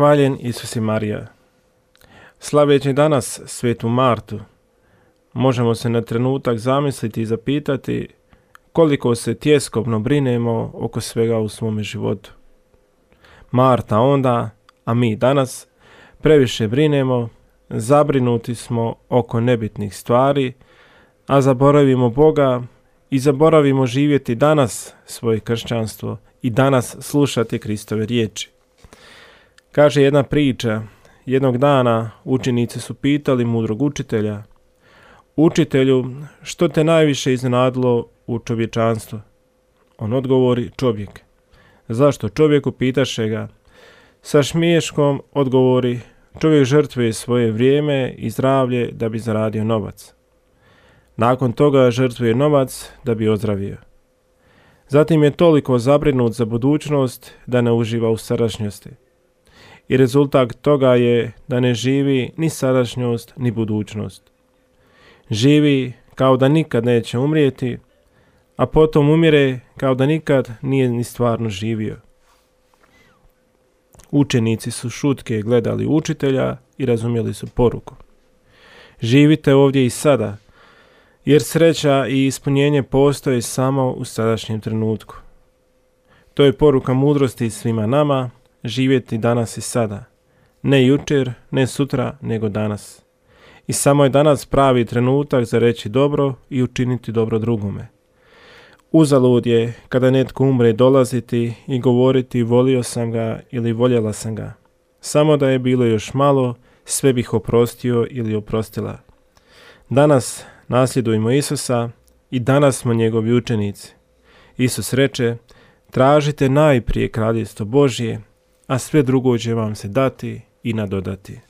Hvaljen Isus i Marija. Slaveći danas svetu Martu, možemo se na trenutak zamisliti i zapitati koliko se tjeskobno brinemo oko svega u svome životu. Marta onda, a mi danas, previše brinemo, zabrinuti smo oko nebitnih stvari, a zaboravimo Boga i zaboravimo živjeti danas svoje kršćanstvo i danas slušati Kristove riječi. Kaže jedna priča, jednog dana učenici su pitali mudrog učitelja: Učitelju, što te najviše iznenadilo u čovječanstvu? On odgovori: čovjek. Zašto čovjeku, pitaše ga? Sa smiješkom odgovori: čovjek žrtvuje svoje vrijeme i zdravlje da bi zaradio novac. Nakon toga žrtvuje novac da bi ozdravio. Zatim je toliko zabrinut za budućnost da ne uživa u sadašnjosti. I rezultat toga je da ne živi ni sadašnjost ni budućnost. Živi kao da nikad neće umrijeti, a potom umire kao da nikad nije ni stvarno živio. Učenici su šutke gledali učitelja i razumjeli su poruku. Živite ovdje i sada, jer sreća i ispunjenje postoje samo u sadašnjem trenutku. To je poruka mudrosti svima nama, živjeti danas i sada. Ne jučer, ne sutra, nego danas. I samo je danas pravi trenutak za reći dobro i učiniti dobro drugome. Uzalud je kada netko umre dolaziti i govoriti volio sam ga ili voljela sam ga. Samo da je bilo još malo, sve bih oprostio ili oprostila. Danas nasljedujmo Isusa i danas smo njegovi učenici. Isus reče: tražite najprije kraljevstvo Božje, a sve drugo će vam se dati i nadodati.